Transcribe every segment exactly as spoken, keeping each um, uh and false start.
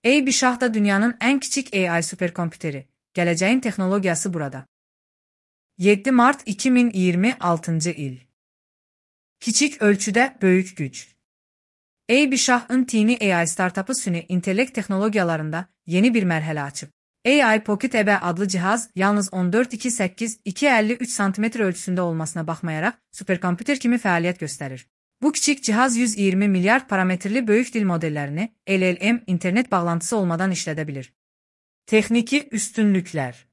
A-Bishah da dünyanın en küçük A I süperkompüteri. Geleceğin teknolojisi burada. yedi Mart iki min iyirmi altıncı il. Küçük ölçüde büyük güç. A-Bishah'ın tini A I startup'ı süni intellekt teknolojiyalarında yeni bir merhale açıp. A I Pocket E B adlı cihaz yalnız on dört nokta iki sekiz - iki nokta elli üç santimetre ölçüsünde olmasına bakmayarak süperkompüter kimi fəaliyyət gösterir. Bu küçük cihaz yüz yirmi milyar parametreli büyük dil modellerini L L M internet bağlantısı olmadan işledebilir. Texniki üstünlükler.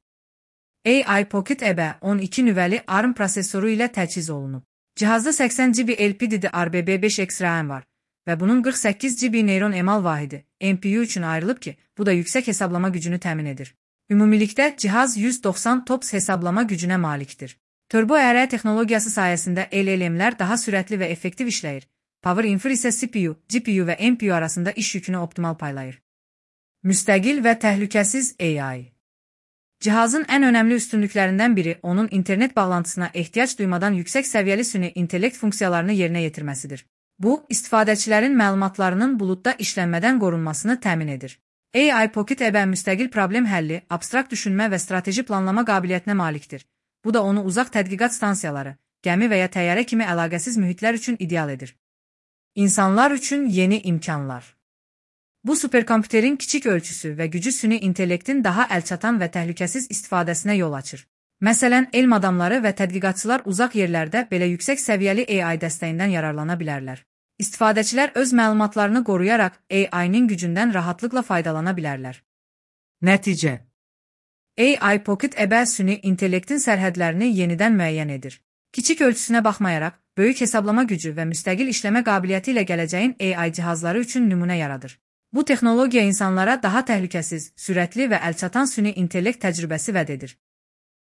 A I Pocket E B on iki nüvəli ARM prosesörü ilə təchiz olunub. Cihazda səksən gigabayt L P D D R B B beş X RAM var ve bunun qırx səkkiz gigabayt neyron emal vahidi N P U üçün ayrılıb ki, bu da yüksek hesablama gücünü təmin edir. Ümumilikdə cihaz yüz doxsan TOPS hesablama gücünə malikdir. Turbo E R texnologiyası sayesinde L L M'ler daha süratli ve effektiv işləyir. Power Infer ise C P U, G P U ve N P U arasında iş yükünü optimal paylayır. Müstəqil ve təhlükəsiz A I. Cihazın en önemli üstünlüklerinden biri onun internet bağlantısına ihtiyaç duymadan yüksek seviyeli süni intellekt funksiyalarını yerine yetirmesidir. Bu, istifadəçilərin məlumatlarının bulutda işlənmədən qorunmasını təmin edir. A I Pocket E B müstəqil problem həlli, abstrakt düşünmə və strateji planlama qabiliyyətinə malikdir. Bu da onu uzaq tədqiqat stansiyaları, gəmi və ya təyyarə kimi əlaqəsiz mühitlər üçün ideal edir. İnsanlar üçün yeni imkanlar. Bu süperkompüterin kiçik ölçüsü və gücü süni intellektin daha əlçatan və təhlükəsiz istifadəsinə yol açır. Məsələn, elm adamları və tədqiqatçılar uzaq yerlərdə belə yüksək səviyyəli A I dəstəyindən yararlana bilərlər. İstifadəçilər öz məlumatlarını qoruyaraq A I'nin gücündən rahatlıqla faydalana bilərlər. Nəticə: A I Pocket E B süni intellektin sərhədlərini yenidən müəyyən edir. Kiçik ölçüsünə baxmayaraq, böyük hesablama gücü və müstəqil işləmə qabiliyyəti ilə gələcəyin A I cihazları üçün nümunə yaradır. Bu texnologiya insanlara daha təhlükəsiz, sürətli və əlçatan süni intellekt təcrübəsi vəd edir.